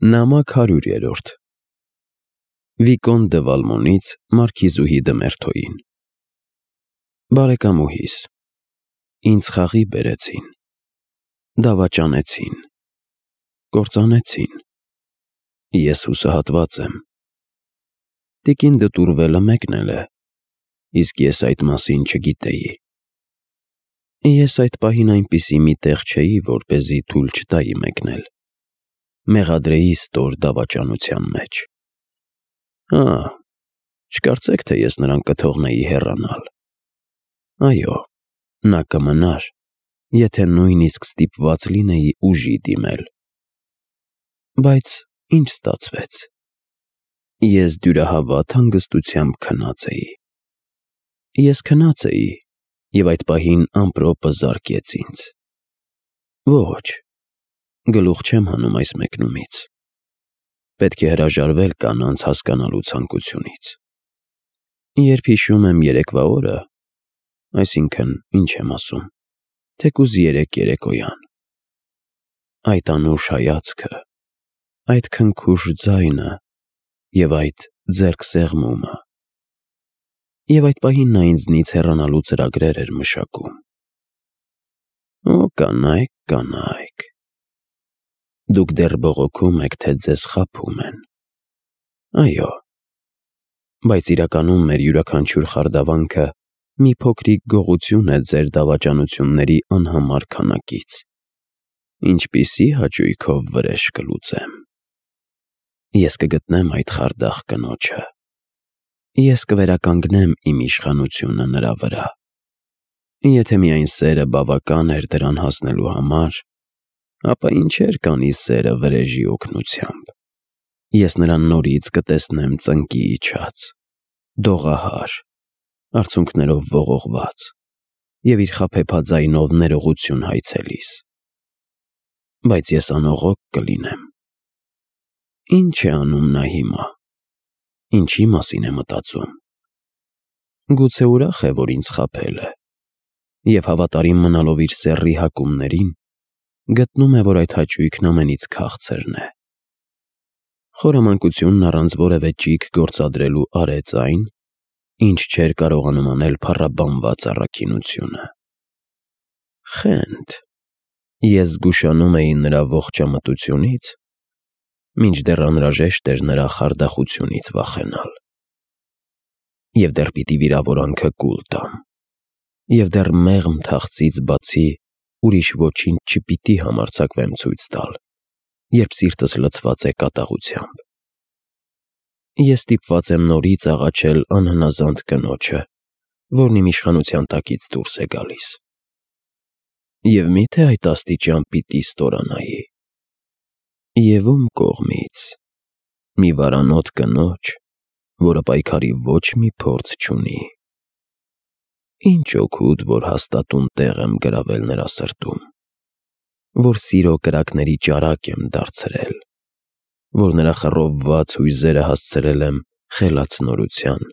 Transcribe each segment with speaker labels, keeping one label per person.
Speaker 1: Նամակ 100-րդ Վիկոն դը Վալմոնից Մարքիզուհի դը Մերթոյին Բարեկամուհիս, ինձ խաղի բերեցին, դավաճանեցին, կործանեցին, ես հուսահատված եմ, տիկին դը տուրվելը մեկնել է, իսկ ես այդ մասին չգիտեի, ես այդ պահին այնպիսի մի տեղ չէի, որպեսզի թույլ չտայի մեկնել, մեղադրեի ստոր դավաճանության մեջ, չկարծեք, թե ես նրան կթողնեի հեռանալ, այո, նա կմնար, եթե նույնիսկ ստիպված լինեի ուժի դիմել, բայց ինչ ստացվեց, ես դյուրահավատ հանգստությամբ քնած էի, ես քնած էի, և այդ պահին ամպրոպը զարկեց ինձ, ոչ, գլուխ չեմ հանում այս մեկնումից, պետք է հրաժարվել կանանց հասկանալու ցանկությունից, երբ հիշում եմ երեկվա օրը, այսինքն ինչ եմ ասում, թեկուզ երեկոյան, այդ անուշ հայացքը, այդ քնքուշ ձայնը և այդ ձեռքսեղմումը, և այդ պահին նա ինձնից հեռանալու ծրագրեր էր մշակում, կանայք, դուք դեռ բողոքում եք, թե ձեզ խաբում են, այո, բայց իրականում մեր յուրաքանչյուր խարդավանքը մի փոքրիկ գողություն է ձեր դավաճանությունների անհամար քանակից, ինչպիսի հաճույքով վրեժ կլուծեմ, ես կգտնեմ այդ խարդախ կնոջը, ես կվերականգնեմ իմ իշխանությունը նրա վրա, եթե միայն սերը բավական էր դրան հասնելու համար, ապա ինչեր կանի սերը վրեժի օգնությամբ, ես նրան նորից կտեսնեմ ծնկի իջած, դողահար, արցունքներով ողողված և իր խաբեբաձայնով ներողություն հայցելիս, բայց ես անողոք կլինեմ, ինչ է անում նա հիմա, ինչի մասին է մտածում, գուցե ուրախ է, որ ինձ խաբել է, և հավատարիմ մնալով իր սեռի հակումներին, գտնում է, որ այդ հաճույքն ամենից քաղցրն է, խորամանկությունն առանց որևէ ճիգ գործադրելու արեց այն, ինչ չէր կարողանում անել փառաբանված առաքինությունը, խենթ, ես զգուշանում էի նրա ողջամտությունից, մինչդեռ անհրաժեշտ էր նրա խարդախությունից վախենալ, և դեռ պիտի վիրավորանքը կուլ տամ, և դեռ մեղմ թախծից բացի ուրիշ ոչինչ չպիտի համարձակվեմ ցույց տալ, երբ սիրտս լցված է կատաղությամբ, ես ստիպված եմ նորից աղաչել անհնազանդ կնոջը, որն իմ իշխանության տակից դուրս է գալիս, և միթե այդ աստիճան պիտի ստորանայի, և ում կողմից, մի վարանոտ կնոջ, որը պայքարի ոչ մի փորձ չունի, ինչ օգուտ, որ հաստատուն տեղ եմ գրավել նրա սրտում, որ սիրո կրակների ճարակ եմ դարձրել, որ նրա խռովված հույզերը հասցրել եմ խելացնորության,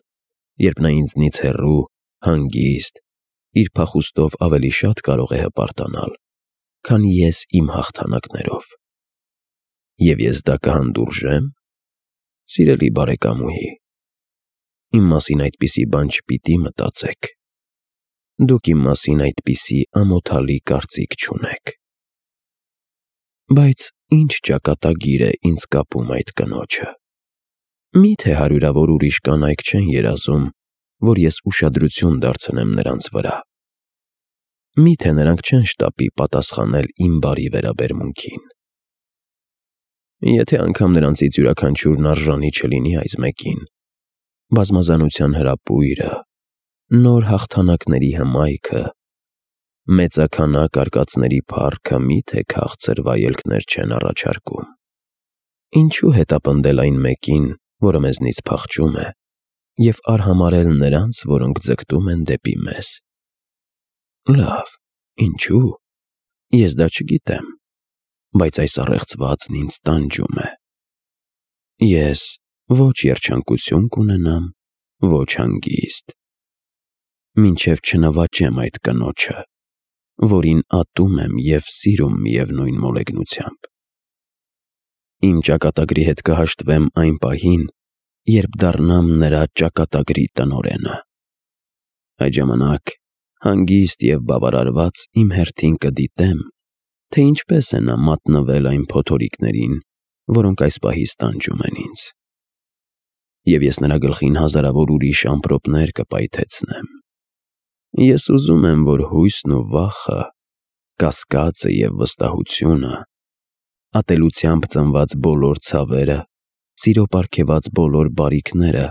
Speaker 1: երբ նա ինձնից հեռու, հանգիստ, իր փախուստով ավելի շատ կարող է հպարտանալ, քան ես իմ հաղթանակներով, և ես դա կհանդուրժե՞մ, սիրելի բարեկամուհի, իմ մասին այդպիսի բան չպիտի մտածեք, դուք իմ մասին այդպիսի ամոթալի կարծիք չունեք, բայց ինչ ճակատագիր է ինձ կապում այդ կնոջը, միթե հարյուրավոր ուրիշ կանայք չեն երազում, որ ես ուշադրություն դարձնեմ նրանց վրա, միթե նրանք չեն շտապի պատասխանել իմ բարի վերաբերմունքին, եթե անգամ նրանցից յուրաքանչյուրն արժանի չլինի այս մեկին, բազմազանության հրապույրը, նոր հաղթանակների հմայքը, մեծաքանակ արկածների փառքը միթե քաղցր վայելքներ չեն առաջարկում, ինչու հետապնդել այն մեկին, որը մեզնից փախչում է, և արհամարհել նրանց, որոնք ձգտում են դեպի մեզ, լավ, ինչու, ես դա չգիտեմ, բայց այս առեղծվածն ինձ տանջում է, ես ոչ երջանկություն կունենամ, ոչ հանգիստ, մինչև չնվաճեմ այդ կնոջը, որին ատում եմ և սիրում միևնույն մոլեգնությամբ, Իմ ճակատագրի հետ կհաշտվեմ այն պահին, երբ դառնամ նրա ճակատագրի տնօրենը։ Այդ ժամանակ հանգիստ և բավարարված իմ հերթին կդիտեմ, թե ինչպես է նա մատնվել այն փոթորիկներին, որոնք այս պահից տանջում են ինձ։ Եվ ես նրա գլխին հազարավոր ուրիշ ամպրոպներ կպայթեցնեմ։ Ես ուզում եմ, որ հույսն ու վախը, կասկածը և վստահությունը, ատելությամբ ծնված բոլոր ցավերը, սիրո պարգևած բոլոր բարիքները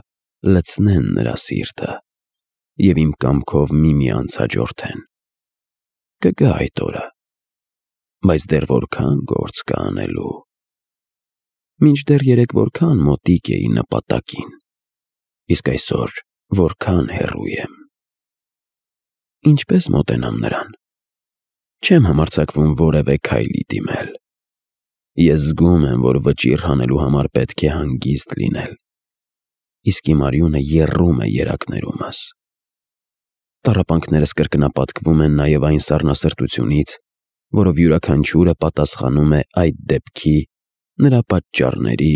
Speaker 1: լցնեն նրա սիրտը և իմ կամքով միմյանց հաջորդեն։ Կգա այդ օրը, բայց դեռ որքան գործ կա անելու։ Մինչդեռ երեկ որքան մոտիկ էի նպատակին, իսկ այսօր որքան հեռու եմ։ Ինչպես մոտենամ նրան։ Չեմ համարձակվում որևէ քայլի դիմել։ Ես զգում եմ, որ վճիռ հանելու համար պետք է հանգիստ լինել, իսկ իմ արյունը եռում է երակներումս։ Տառապանքներս կրկնապատկվում են նաև այն սառնասրտությունից, որով յուրաքանչյուրը պատասխանում է այդ դեպքի, նրա պատճառների,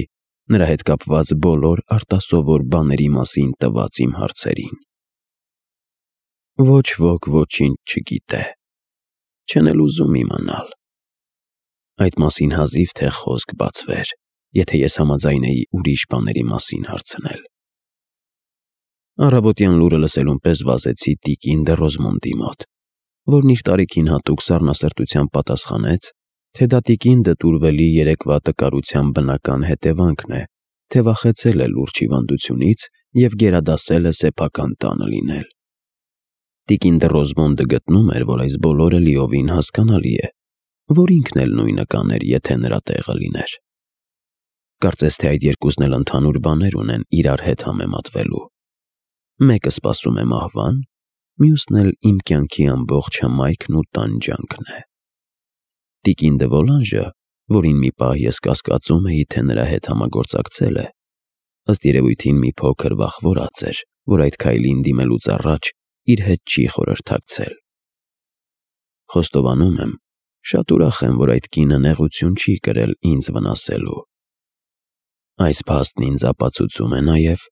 Speaker 1: նրա հետ կապված բոլոր արտասովոր բաների մասին տված իմ հարցերին։ Ոչ ոք ոչինչ չգիտե, չեն էլ ուզում իմանալ։ Այդ մասին հազիվ թե խոսք բացվեր, եթե ես համաձայնեի ուրիշ բաների մասին հարցնել։ Առավոտյան լուրը լսելուն պես վազեցի տիկին դը Ռոզմոնդի մոտ, որն իր տարիքին հատուկ սառնասրտությամբ պատասխանեց, թե դա տիկին դը Տուրվելի երեկվա տկարության բնական հետևանքն է, թե վախեցել է լուրջ հիվանդությունից և գերադասել է սեփական տանը լինել։ Տիկին դը Ռոզմոնդը գտնում էր, որ այս բոլորը լիովին հասկանալի է, որ ինքն էլ նույնը կաներ, եթե նրա տեղը լիներ։ Կարծես թե այդ երկուսն էլ ընդհանուր բաներ ունեն իրար հետ համեմատվելու։ Մեկը սպասում է մահվան, մյուսն էլ իմ կյանքի ամբողջ հմայքն ու տանջանքն է։ Տիկին դը Վոլանժը, որին մի պահ ես կասկածում էի, թե նրա հետ համագործակցել է, ըստ երևույթին մի փոքր վախվորած էր, որ այդ քայլին դիմելուց առաջ իր հետ չի խորհրդակցել։ Խոստովանում եմ, շատ ուրախ եմ, որ այդ կինը նեղություն չի կրել ինձ վնասելու։ Այս փաստն ինձ ապացուցում է նաև,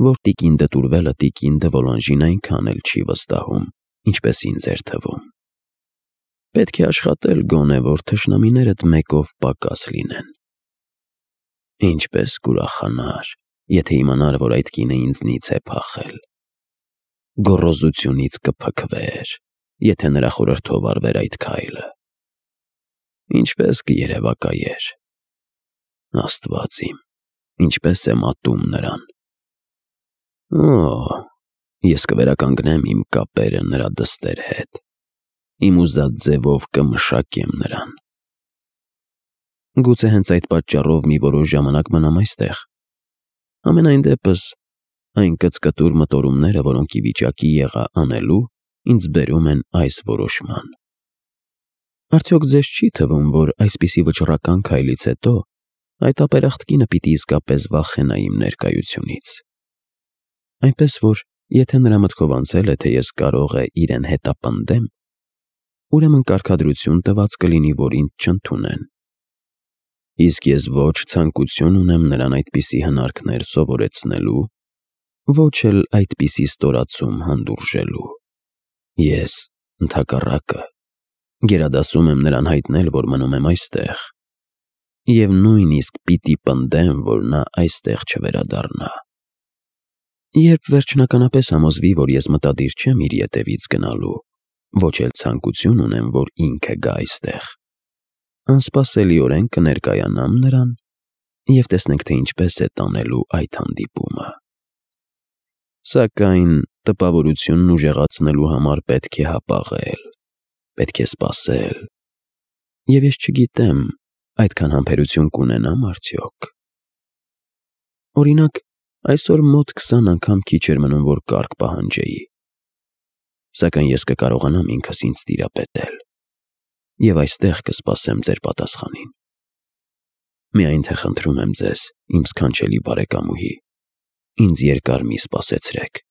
Speaker 1: որ տիկին դը Տուրվելը տիկին դը Վոլանժին այնքան էլ չի վստահում, ինչպես ինձ էր թվում։ Պետք է աշխատել գոնե, որ թշնամիներդ մեկով պակաս լինեն։ Ինչպես կուրախանար, եթե իմանար, որ այդ կինը ինձնից է փախել։ Գոռոզությունից կփքվեր, եթե նրա խորհրդով արվեր այդ քայլը։ Ինչպես կերևակայեր։ Աստված իմ, ինչպես եմ ատում նրան։ Օ, ես կվերականգնեմ իմ կապերը նրա դստեր հետ, իմ ուզած ձևով կմշակեմ նրան։ Գուցե հենց այդ պատճառով մի որոշ ժամանակ մնամ այստեղ։ Համենայն դեպս, այն կծկտուր մտորումները, որոնք ի վիճակի եղա անելու, ինձ բերում են այս որոշման։ Արդյոք ձեզ չի թվում, որ այսպիսի վճռական քայլից հետո այդ ապերախտ կինը պիտի իսկապես վախենա իմ ներկայությունից։ Այնպես որ, եթե նրա մտքով անցել է, թե ես կարող է իրեն հետապնդեմ, ուրեմն կարգադրություն տված կլինի, որ ինձ չընդունեն։ Իսկ ես ոչ ցանկություն ունեմ նրան այդպիսի հնարքներ սովորեցնելու, ոչ էլ այդպիսի ստորացում հանդուրժելու։ Ես, ընդհակառակը, գերադասում եմ նրան հայտնել, որ մնում եմ այստեղ, և նույնիսկ պիտի պնդեմ, որ նա այստեղ չվերադառնա։ Երբ վերջնականապես համոզվի, որ ես մտադիր չեմ իր ետևից գնալու, ոչ էլ ցանկություն ունեմ, որ ինքը գա այստեղ, անսպասելիորեն կներկայանամ նրան և տեսնենք, թե ինչպես է տանելու այդ հանդիպումը։ Սակայն տպավորությունն ուժեղացնելու համար պետք է հապաղել, պետք է սպասել, և ես չգիտեմ, այդքան համբերություն կունենամ արդյոք։ Օրինակ, այսօր մոտ 20 անգամ քիչ էր մնում, որ կարգ պահանջեի։ Սակայն ես կկարողանամ ինքս ինձ տիրապետել և այստեղ կսպասեմ ձեր պատասխանին։ Միայն թե խնդրում եմ ձեզ, իմ սքանչելի բարեկամուհի, ինձ երկար մի սպասեցրեք։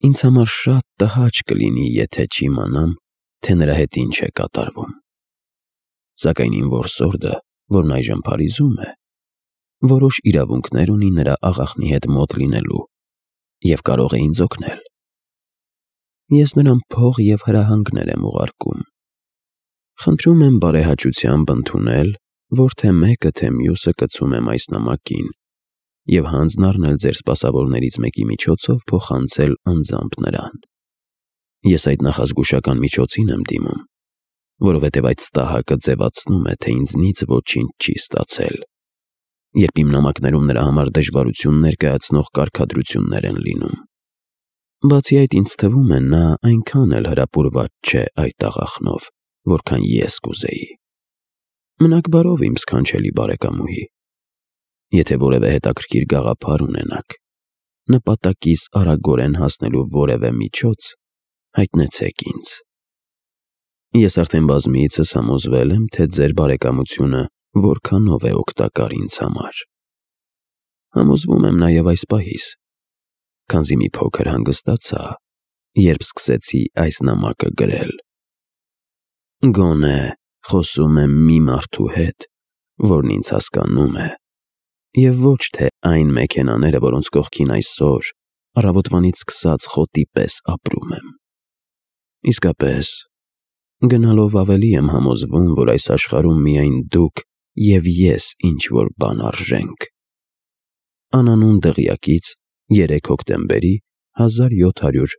Speaker 1: Ինձ համար շատ տհաճ կլինի, եթե չիմանամ, թե նրա հետ ինչ է կատարվում։ Սակայն իմ որսորդը որն այժմ Փարիզում է, որոշ իրավունքներ ունի նրա աղախնի հետ մոտ լինելու և կարող է ինձ օգնել։ Ես նրան փող և հրահանգներ եմ ուղարկում։ Խնդրում եմ բարեհաճությամբ ընդունել, որ թե մեկը, թե մյուսը կցում եմ այս նամակին և հանձն առնել ձեր սպասավորներից մեկի միջոցով փոխանցել անձամբ նրան։ Ես այդ նախազգուշական միջոցին եմ դիմում, որովհետև այդ ստահակը ձևացնում է, թե ինձնից ոչինչ չի ստացել, երբ իմ նամակներում նրա համար դժվարություն ներկայացնող կարգադրություններ են լինում։ Բացի այդ, ինձ թվում է, նա այնքան էլ հրապուրված չէ այդ աղախնով, որքան ես կուզեի։ Մնաք բարով, իմ սքանչելի բարեկամուհի։ Եթե որևէ հետաքրքիր գաղափար ունենաք, նպատակիս արագորեն հասնելու որևէ միջոց, հայտնեցեք ինձ։ Ես արդեն բազմիցս համոզվել եմ, թե ձեր բարեկամությունը որքանով է օգտակար ինձ համար։ Համոզվում եմ նաև այս պահից, քանզի մի փոքր հանգստացա, երբ սկսեցի այս նամակը գրել։ Գոնե խոսում եմ մի մարդու հետ, որն ինձ հասկանում է, և ոչ թե այն մեքենաները, որոնց կողքին այսօր առավոտվանից սկսած խոտի պես ապրում եմ։ Իսկապես, գնալով ավելի եմ համոզվում, որ այս աշխարհում միայն դուք և ես ինչ-որ բան արժենք։ Անանուն դղյակից 3 հոկտեմբերի 1700